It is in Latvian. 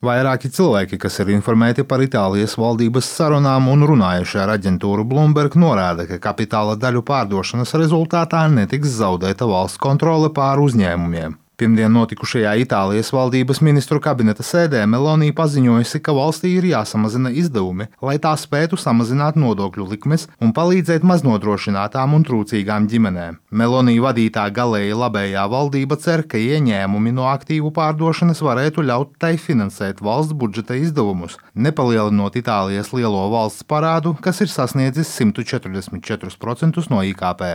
Vairāki cilvēki, kas ir informēti par Itālijas valdības sarunām un runājuši ar aģentūru Bloomberg, norāda, ka kapitāla daļu pārdošanas rezultātā netiks zaudēta valsts kontrole pār uzņēmumiem. Pirmdien notikušajā Itālijas valdības ministru kabineta sēdē Meloni paziņojusi, ka valstī ir jāsamazina izdevumi, lai tā spētu samazināt nodokļu likmes un palīdzēt maznodrošinātām un trūcīgām ģimenēm. Meloni vadītā galēji labējā valdība cer, ka ieņēmumi no aktīvu pārdošanas varētu ļaut tai finansēt valsts budžeta izdevumus, nepalielinot Itālijas lielo valsts parādu, kas ir sasniedzis 144% no IKP.